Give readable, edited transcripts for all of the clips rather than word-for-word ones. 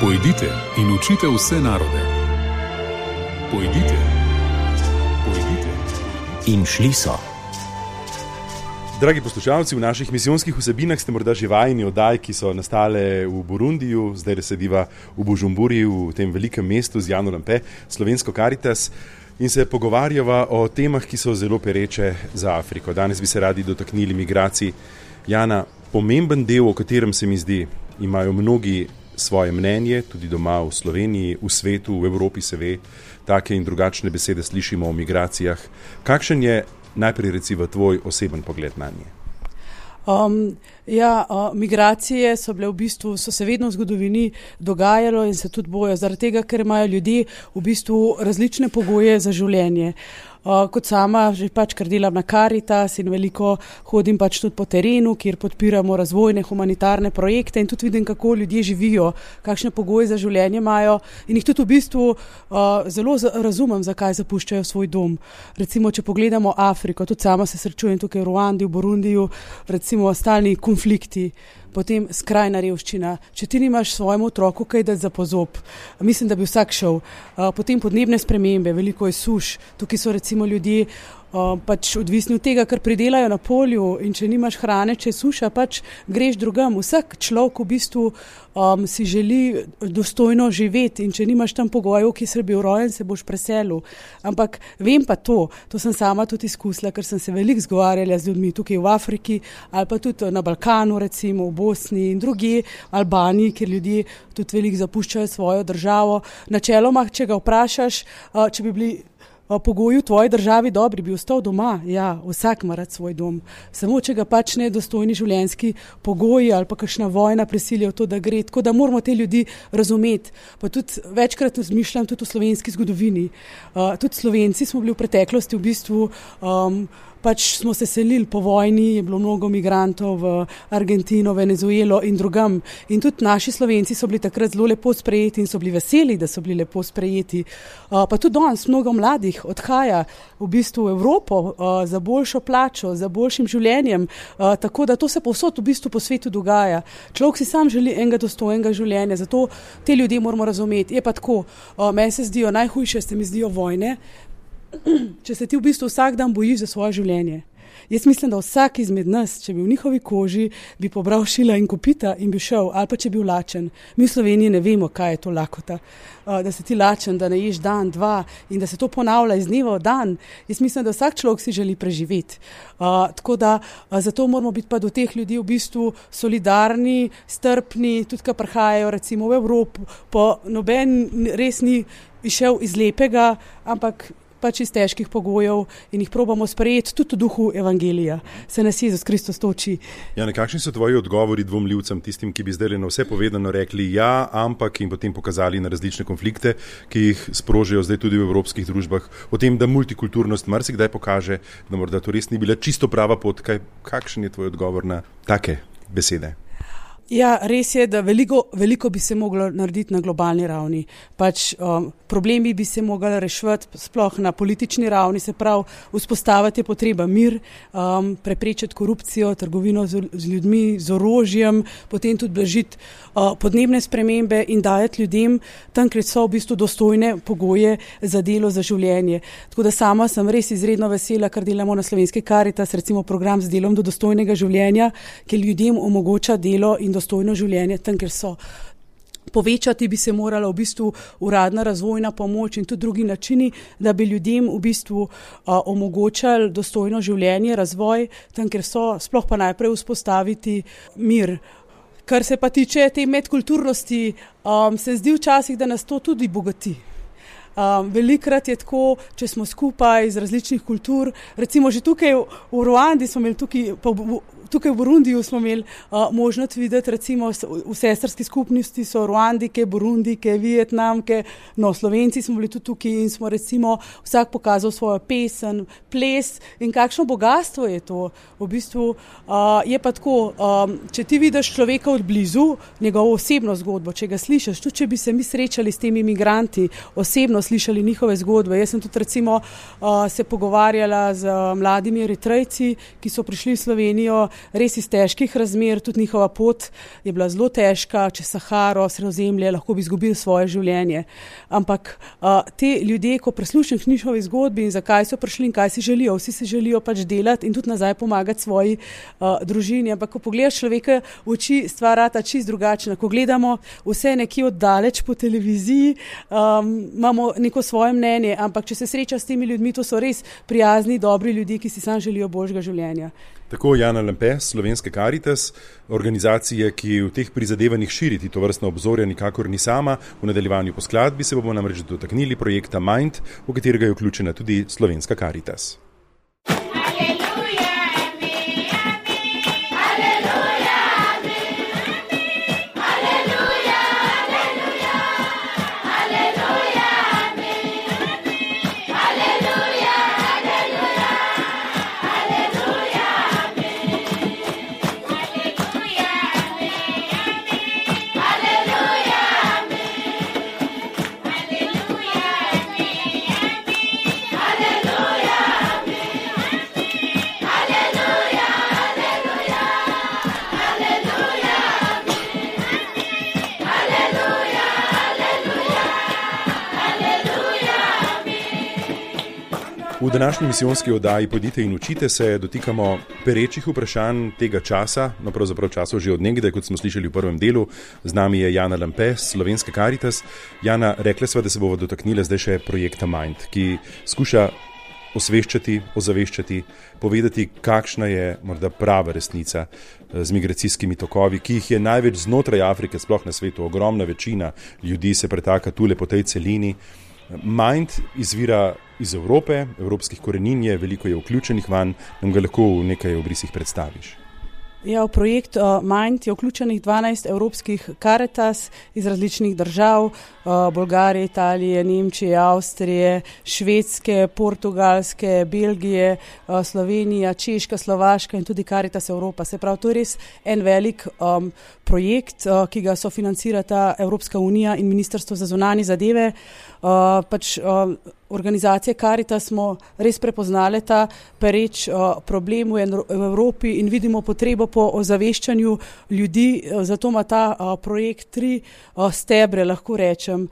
Pojdite in učite vse narode. Pojdite. In šli so. Dragi poslušalci, v naših misijonskih vsebinah ste morda že vajeni oddaj, ki so nastale v Burundiju, zdaj sediva v Bujumburi, v tem velikem mestu z Jano Lampe, Slovensko Karitas, in se pogovarjava o temah, ki so zelo pereče za Afriko. Danes bi se radi dotaknili migracij. Jana, pomemben del, o katerem se mi zdi, imajo mnogi svoje mnenje, tudi doma v Sloveniji, v svetu, v Evropi se ve, take in drugačne besede slišimo o migracijah. Kakšen je najprej recimo tvoj oseben pogled na nje? Migracije so se vedno v zgodovini dogajalo in se tudi bojo, zaradi tega, ker imajo ljudje v bistvu različne pogoje za življenje. Kot sama že ker delam na Karitas in veliko hodim tudi po terenu, kjer podpiramo razvojne humanitarne projekte in tudi vidim, kako ljudje živijo, kakšne pogoje za življenje imajo in jih tudi v bistvu zelo razumem, zakaj zapuščajo svoj dom. Recimo, če pogledamo Afriko, tudi sama se srečujem tukaj v Ruandi, v Burundiju, recimo stalni konflikti, potem skrajna revščina. Če ti nimaš svojemu otroku kaj dati za pozob, mislim, da bi vsak šel. Potem podnebne spremembe, veliko je suš, tukaj so recimo ljudje odvisni od tega, kar pridelajo na polju, in če nimaš hrane, če je suša, greš drugam. Vsak človek v bistvu si želi dostojno živeti in če nimaš tam pogojev, ki si bil rojen, se boš preselil. Ampak vem pa to sem sama tudi izkusila, ker sem se veliko zgovarjala z ljudmi tukaj v Afriki ali pa tudi na Balkanu, recimo v Bosni in drugje, Albaniji, kjer ljudje tudi veliko zapuščajo svojo državo. Načeloma, če ga vprašaš, če bi bili pogoji v tvoji državi dobri, bi ostal doma. Ja, vsak ima rad svoj dom. Samo če ga ne dostojni življenjski pogoji ali pa kakšna vojna prisilijo to, da gre. Tako da moramo te ljudi razumeti. Pa tudi večkrat razmišljam tudi v slovenski zgodovini. Tudi Slovenci smo bili v preteklosti v bistvu smo se selili po vojni, je bilo mnogo migrantov v Argentino, Venezuelo in drugam. In tudi naši Slovenci so bili takrat zelo lepo sprejeti in so bili veseli, da so bili lepo sprejeti. Pa tudi danes mnogo mladih odhaja v bistvu v Evropo za boljšo plačo, za boljšim življenjem. Tako da to se povsod v bistvu po svetu dogaja. Človek si sam želi enega dostojnega življenja, zato te ljudje moramo razumeti. Je pa tako, meni se zdijo, najhujše se mi zdijo vojne, če se ti v bistvu vsak dan bojiš za svoje življenje. Jaz mislim, da vsak izmed nas, če bi v njihovi koži, bi pobral šila in kopita in bi šel, ali pa če bi lačen. Mi v Sloveniji ne vemo, kaj je to lakota. Da si ti lačen, da ne ješ dan, dva in da se to ponavlja iz dneva v dan. Jaz mislim, da vsak človek si želi preživeti. Tako da zato moramo biti pa do teh ljudi v bistvu solidarni, strpni, tudi ko prihajajo recimo v Evropo, pa noben res ni išel iz lepega, ampak iz težkih pogojev in jih probamo sprejeti tudi v duhu evangelija. Se nas Jezus Kristus toči. Jane, kakšni so tvoji odgovori dvomljivcem, tistim, ki bi zdaj na vse povedano rekli ja, ampak in potem pokazali na različne konflikte, ki jih sprožijo zdaj tudi v evropskih družbah, o tem, da multikulturnost marsikdaj pokaže, da morda to res ni bila čisto prava pot. Kakšen je tvoj odgovor na take besede? Ja, res je, da veliko bi se moglo narediti na globalni ravni. Problemi bi se mogli reševati sploh na politični ravni, se pravi, vzpostaviti je potreba mir, preprečiti korupcijo, trgovino z ljudmi, z orožjem, potem tudi blažiti podnebne spremembe in dajati ljudem tam, kjer so v bistvu dostojne pogoje za delo, za življenje. Tako da sama sem res izredno vesela, ker delamo na Slovenski Karitas, recimo program z delom do dostojnega življenja, ki ljudem omogoča delo in dostojno življenje tam, kjer so. Povečati bi se morala v bistvu uradna razvojna pomoč in tudi drugi načini, da bi ljudem v bistvu omogočali dostojno življenje, razvoj tam, kjer so, sploh pa najprej vzpostaviti mir. Kar se pa tiče te medkulturnosti, se zdi včasih, da nas to tudi bogati. Velikrat je tako, če smo skupaj iz različnih kultur, recimo že tukaj v Ruandi smo imeli tukaj v Burundiju smo imeli možnost videti, recimo v sestrski skupnosti so Ruandike, Burundike, Vietnamke, Slovenci smo bili tudi tukaj in smo recimo vsak pokazal svojo pesem, ples in kakšno bogatstvo je to. V bistvu je pa tako, če ti vidiš človeka od blizu, njegovo osebno zgodbo, če ga slišiš, tudi če bi se mi srečali s temi migranti, osebno slišali njihove zgodbe. Jaz sem tudi recimo se pogovarjala z mladimi Eritrejci, ki so prišli v Slovenijo res iz težkih razmer, tudi njihova pot je bila zelo težka, čez Saharo, Sredozemlje, lahko bi izgubili svoje življenje. Ampak te ljudje, ko prislušniš njihovi zgodbi in zakaj so prišli in kaj si želijo, vsi si želijo pač delati in tudi nazaj pomagati svoji družini. Ampak ko pogledaš človeka v oči, stvar rata čisto drugačna. Ko gledamo vse nekje oddaleč po televiziji, imamo neko svoje mnenje, ampak če se sreča s temi ljudmi, to so res prijazni, dobri ljudje, ki si sam želijo božjega življenja. Tako Jana Lampe, Slovenske Karitas, organizacije, ki v teh prizadevanjih širiti to vrstno obzorje, nikakor ni sama. V nadaljevanju po skladbi se bomo namreč dotaknili projekta Mind, v katerega je vključena tudi Slovenska Karitas. V današnji misijonski oddaji Pojdite in učite se dotikamo perečih vprašanj tega časa, no pravzaprav časov že od nekdaj, kot smo slišali v prvem delu. Z nami je Jana Lampe, Slovenske Karitas. Jana, rekla sva, da se bova dotaknila zdaj še projekta Mind, ki skuša osveščati, ozaveščati, povedati, kakšna je morda prava resnica z migracijskimi tokovi, ki jih je največ znotraj Afrike, sploh na svetu. Ogromna večina ljudi se pretaka tule po tej celini. Mind izvira iz Evrope, evropskih korenin je, veliko je vključenih vanj, nam ga lahko v nekaj obrisih predstaviš. Ja, v projekt Mind je vključenih 12 evropskih Karitas iz različnih držav, Bolgarije, Italije, Nemčije, Avstrije, Švedske, Portugalske, Belgije, Slovenija, Češka, Slovaška in tudi Karitas Evropa. Se pravi, to je res en velik projekt, ki ga sofinancirata Evropska unija in Ministrstvo za zunanje zadeve. Organizacije Karitas smo res prepoznali ta pereč problem v Evropi in vidimo potrebo po ozaveščanju ljudi, zato ima ta projekt 3 stebre, lahko rečem.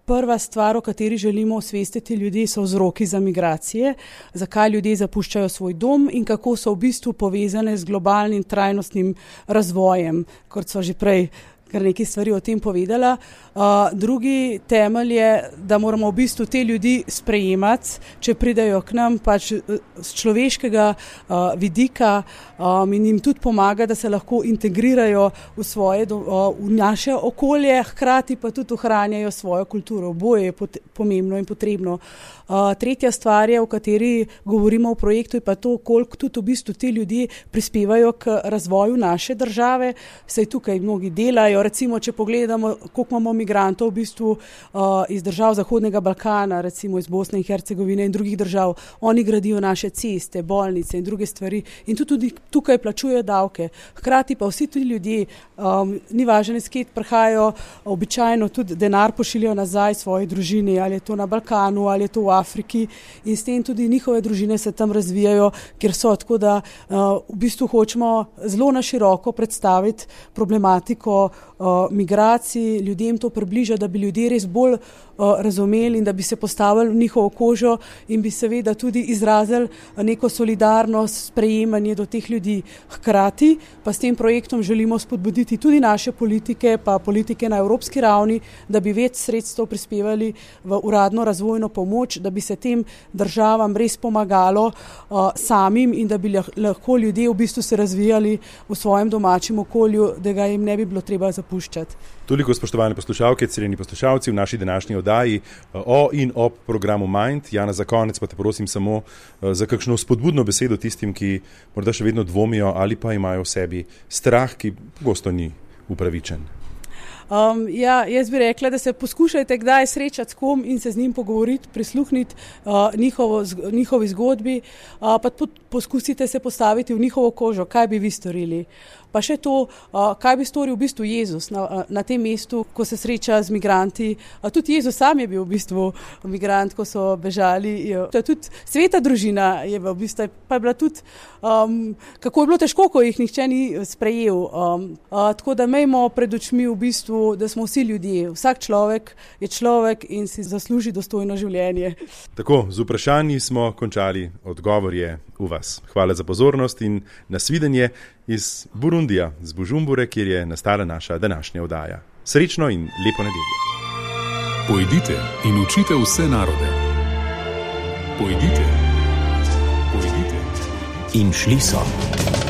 Prva stvar, o kateri želimo osvestiti ljudi, so vzroki za migracije, zakaj ljudje zapuščajo svoj dom in kako so v bistvu povezane z globalnim trajnostnim razvojem, kot so že prej kar nekaj stvari o tem povedala. Drugi temelj je, da moramo v bistvu te ljudi sprejemati, če pridejo k nam pač z človeškega vidika in jim tudi pomaga, da se lahko integrirajo v naše okolje, hkrati pa tudi ohranjajo svojo kulturo. Oboje je pomembno in potrebno. Tretja stvar je, o kateri govorimo v projektu, je pa to, koliko tudi v bistvu ti ljudje prispevajo k razvoju naše države. Saj tukaj mnogi delajo, recimo, če pogledamo, koliko imamo migrantov v bistvu iz držav Zahodnega Balkana, recimo iz Bosne in Hercegovine in drugih držav. Oni gradijo naše ceste, bolnice in druge stvari in tudi tukaj plačujejo davke. Hkrati pa vsi ti ljudje, ni važno, iz kje prihajajo, običajno tudi denar pošiljajo nazaj svoji družini, ali je to na Balkanu, ali je to v Afriki in s tem tudi njihove družine se tam razvijajo, kjer so, tako da v bistvu hočemo zelo na široko predstaviti problematiko migracij, ljudem to približa, da bi ljudje res bolj razumeli in da bi se postavili v njihovo kožo in bi seveda tudi izrazili neko solidarnost, sprejemanje do teh ljudi. Hkrati pa s tem projektom želimo spodbuditi tudi naše politike, pa politike na evropski ravni, da bi več sredstev prispevali v uradno razvojno pomoč, da bi se tem državam res pomagalo samim in da bi lahko ljudje v bistvu se razvijali v svojem domačem okolju, da ga jim ne bi bilo treba zapuščati. Toliko, spoštovane poslušalke, cenjeni poslušalci, v naši današnji oddaji o in ob programu Mind. Jana, za konec pa te prosim samo za kakšno spodbudno besedo tistim, ki morda še vedno dvomijo ali pa imajo v sebi strah, ki pogosto ni upravičen. Jaz bi rekla, da se poskušajte kdaj srečati s kom in se z njim pogovoriti, prisluhniti njihovi zgodbi, pa poskusite se postaviti v njihovo kožo, kaj bi vi storili. pa še to, kaj bi storil v bistvu Jezus na tem mestu, ko se sreča z migranti. Tudi Jezus sam je bil v bistvu migrant, ko so bežali. To je tudi sveta družina, je v bistvu, pa je bila tudi, kako je bilo težko, ko jih nihče ni sprejel. Tako da imejmo pred očmi v bistvu, da smo vsi ljudje. Vsak človek je človek in si zasluži dostojno življenje. Tako, z vprašanji smo končali, odgovor je v vas. Hvala za pozornost in nasvidenje iz Burundija, z Bujumbure, kjer je nastala naša današnja oddaja. Srečno in lepo nedeljo. Pojdite in učite vse narode. Pojdite. In šli so.